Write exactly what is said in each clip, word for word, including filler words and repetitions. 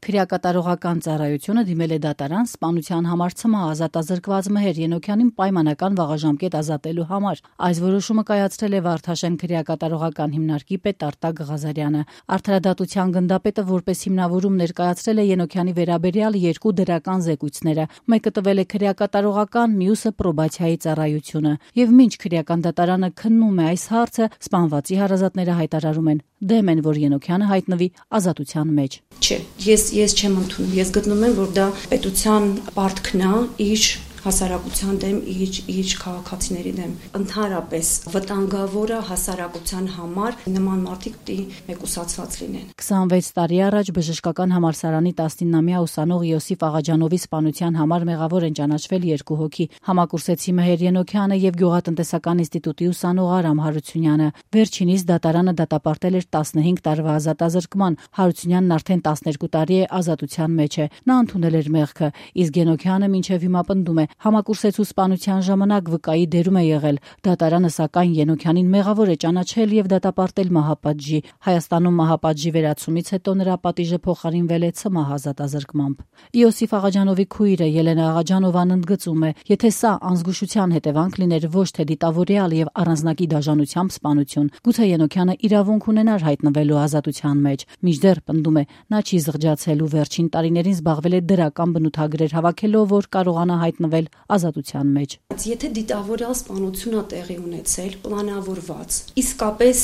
Քրեակատարողական ծառայությունը դիմել է դատարան սպանության համար ցմահ ազատազրկված Մհեր Ենոքյանին պայմանական վաղաժամկետ ազատելու համար։ Այս որոշումը կայացրել է Վարդաշեն քրեակատարողական հիմնարկի պետ Արտակ Ղազարյանը։ Արդարադատության գնդապետը որպես հիմնավորում ներկայացրել է Ենոքյանի վերաբերյալ երկու դրական զեկույցները։ Մեկը տվել է քրեակատարողական, մյուսը պրոբացիայի ծառայությունը։ Եվ մինչ քրեական դատարանը քննում է այս հարցը, սպանվածի հարազատները հայտարարում են դեմ են, որ Ենոքյանը հայտնվի ազատության մեջ։ Չէ, ես ես չեմ ընդունում։ Ես գտնում եմ, որ դա պետության պարտքն է իր հասարակության դեմ, իր իր քաղաքացիների դեմ։ Ընդհանրապես վտանգավոր է հասարակության համար նման մարդիկ պիտի մեկուսացված լինեն։ քսանվեց տարի առաջ բժշկական համալսարանի տասնինամյա ուսանող Յոսիֆ Աղաջանովի սպանության համար մեղավոր են ճանաչվել երկու հոգի՝ համակուրսեցի Մհեր Ենոքյանը եւ Գյուղատնտեսական ինստիտուտի ուսանող Արամ Հարությունյանը։ Վերջինիս դատարանը դատապարտել էր տասնհինգ տարվա ազատազրկման։ Հարությունյանն արդեն տասներկու տարի է ազատության մեջ է։ Նա ընդունել էր մեղքը, իսկ Ենոքյանը մինչև հիմա պնդում է համակուրսեցու սպանության ժամանակ վկայի դերում է եղել։ Դատարանը սակայն Ենոքյանին մեղավոր է ճանաչել եւ դատապարտել մահապատժի։ Հայաստանում մահապատժի վերացումից հետո նրա պատիժը փոխարինվել է ցմահ ազատազրկմամբ։ Յոսիֆ Աղաջանովի քույրը Ելենա Աղաջանովան ընդգծում է, եթե սա անզգուշության հետևանք լիներ ոչ թե դիտավորյալ եւ առանձնակի դաժանությամբ սպանություն, գուցե Ենոքյանը իրավունք ունենար հայտնվելու ազատության մեջ։ Մինչդեռ պնդում է, նա չի զղջացել ու վերջին տարիներին զբաղվել է դրական բնութագրեր հավաքելով, որ կարողանա հայտնվել ազատության մեջ։ Եթե դիտավորյալ սպանությունը տեղի ունեցել, պլանավորված, իսկապես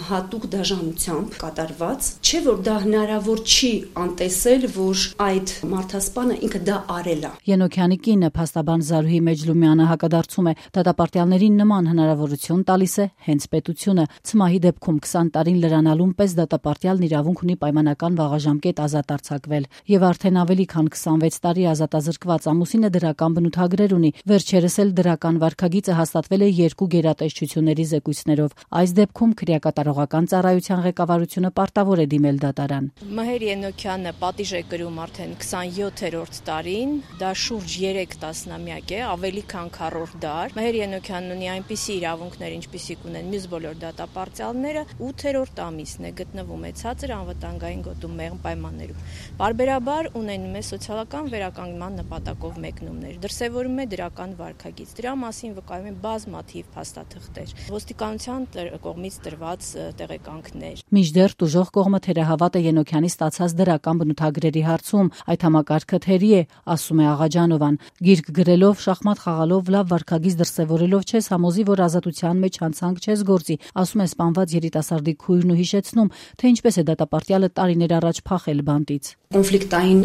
հատուկ դաժանությամբ կատարված, չէ որ դա հնարավոր չի անտեսել, որ այդ մարդասպանը ինքը դա արել է։ Ենոքյանի կինը փաստաբան Զարուհի Մեջլումյանը հակադարձում է, դատապարտյալներին նման հնարավորություն տալիս է հենց պետությունը։ Ցմահի դեպքում քսան տարին լրանալուն պես դատապարտյալն իրավունք ունի պայմանական վաղաժամկետ ազատ արձակվել եւ արդեն ավելի քան քսանվեց տարի ազատազրկված ամուսինը դրական բնութագրեր ունի։ Վերջերս էլ դրական վարքագիծը հաստատվել է երկու գերատեսչությունների զեկույցներով։ Այս դեպքում քրեակատարողական ծառայության ղեկավարությունը պարտավոր է դիմել դատարան։ Մհեր Ենոքյանը պատիժ է կրում արդեն քսանյոթերորդ տարին, դա շուրջ երեք տասնամյակ է, ավելի քան քառորդ դար։ Մհեր Ենոքյանն ունի այնպիսի իրավունքներ, ինչպիսիք ունեն մյուս բոլոր դատապարտյալները, ութերորդ ամիսն է, գտնվում է ցածր անվտանգային գոտու մեղմ պայմաններում։ Պարբերաբար ունենում է սոցիալական վերականգնման նպատակով մեկնումներ, դրսևորում է դրական վարքագիծ։ Դրա մասին վկայում են բազմաթիվ փաստաթղթեր, ոստիկանության կողմից տրված տեղեկանքներ։ Մինչդեռ տուժող կողմը թերահավատ է Ենոքյանի ստացած դրական բնութագրերի հարցում։ Այդ համակարգը թերի է, ասում է Աղաջանովան։ Գիրք գրելով, շախմատ խաղալով, լավ վարքագիծ դրսևորելով չես համոզի, որ ազատության մեջ հանցանք չես գործի, ասում է սպանված երիտասարդի քույրն ու հիշեցնում, թե ինչպես է դատապարտյալը տարիներ առաջ փախել բանտից։ Կոնֆլիկտային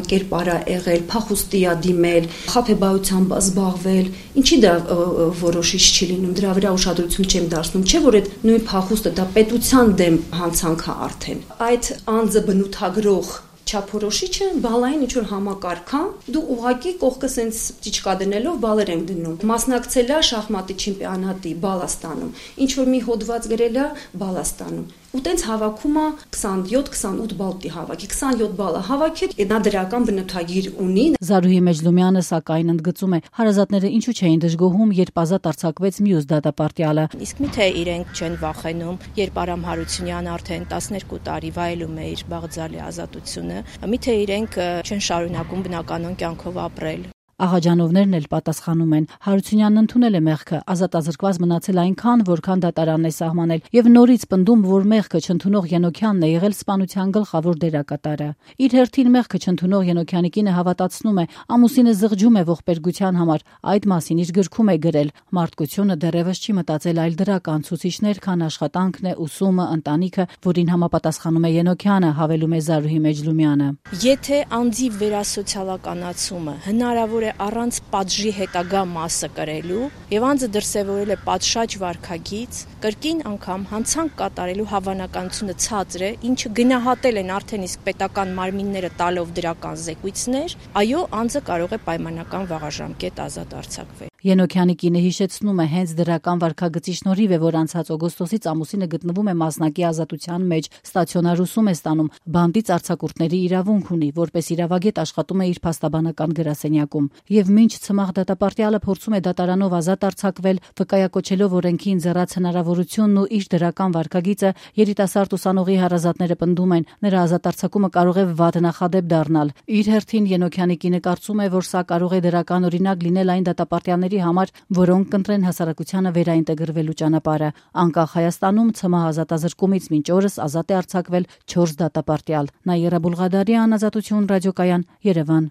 կերպար է եղել, փախուստի է դիմել, խաբեբայությամբ զբաղվել, ինչի դա որոշիչ չի լինում, դրա վրա ուշադրություն չեմ դարձնում, չէ՞ որ այդ նույն փախուստը դա պետության դեմ հանցանք է արդեն։ Այդ անձը բնութագրող չափորոշիչը բալային ինչ որ համակարգ է, դու ուղակի կողքը սենց ճիճկա դնելով բալեր ենք դնում։ Մասնակցել է շախմատի չեմպիոնատի, բալ է ստանում, ինչ որ մի հոդված գրել է, բալ է ստանում։ Ու տենց հավաքում է քսանյոթ քսանութ բալ պիտի հավաքի, քսանյոթ բալը հավաքել, նա դրական բնութագիր ունի։ Զարուհի Մեջլումյանը սակայն ընդգծում է, հարազատները ինչու չէին դժգոհում, երբ ազատ արձակվեց մյուս դատապարտյալը։ Իսկ միթե իրենք չեն վախենում, երբ Արամ Հարությունյանը արդեն տասներկու տարի վայելում է իր բաղձալի ազատությունը, միթե իրենք չեն շարունակում բնականոն կյանքով ապրել։ Աղաջանովներն էլ պատասխանում են։ Հարությունյանն ընդունել է մեղքը, ազատազրկված մնացել այնքան, որքան դատարանն է սահմանել, եւ նորից պնդում, որ մեղքը չընդունող Ենոքյանն է եղել սպանության գլխավոր դերակատարը։ Իր հերթին մեղքը չընդունող Ենոքյանի կինը հավատացնում է, ամուսինը զղջում է ողբերգության համար, այդ մասին իր գրքում է գրել։ Մարդկությունը դեռևս չի մտածել այլ դրական ցուցիչներ, քան աշխատանքն է, ուսումը, ընտանիքը, որին համապատասխանում է Ենոքյանը, հավելում է Զարուհի Մեջլումյանը։ Եթե անձի վերասոցիալականացումը հնարավոր առանց պատժի հետագա մասը կրելու եւ անձը դրսեւորել է պատշաճ վարքագիծ, կրկին անգամ հանցանք կատարելու հավանականությունը ցածր է, ինչը գնահատել են արդեն իսկ պետական մարմինները տալով դրական զեկույցներ, այո, անձը կարող է պայմանական վաղաժամկետ ազատ արձակվել։ Ենոքյանի կինը հիշեցնում է, հենց դրական վարքագծի շնորհիվ է, որ անցած օգոստոսից ամուսինը գտնվում է մասնակի ազատության մեջ, ստացիոնար ուսում է ստանում, բանտից արձակուրդների իրավունք ունի, որպես իրավագետ աշխատում է իր փաստաբանական գրասենյակում։ Եվ մինչ ցմահ դատապարտյալը փորձում է դատարանով ազատ արձակվել, վկայակոչելով օրենքի ընձեռած հնարավորությունն ու իր դրական վարքագիծը, երիտասարդ ուսանողի հարազատները պնդում են, նրա ազատ արձակումը կարող է վատ նախադեպ դառնալ։ Իր հերթին Ենոքյանի կինը կարծում է, որ սա կարող է դրական օրինակ լինել այն դատապարտյալների համար, որոնք կընտրեն հասարակությանը վերաինտեգրվելու ճանապարհը։ Անկախ Հայաստանում ցմահ ազատազրկումից մինչ օրս ազատ է արձակվել չորս դատապարտյալ։ Նաիրա Բուլղադարյան, Ազատություն ռադիոկայան, Երևան։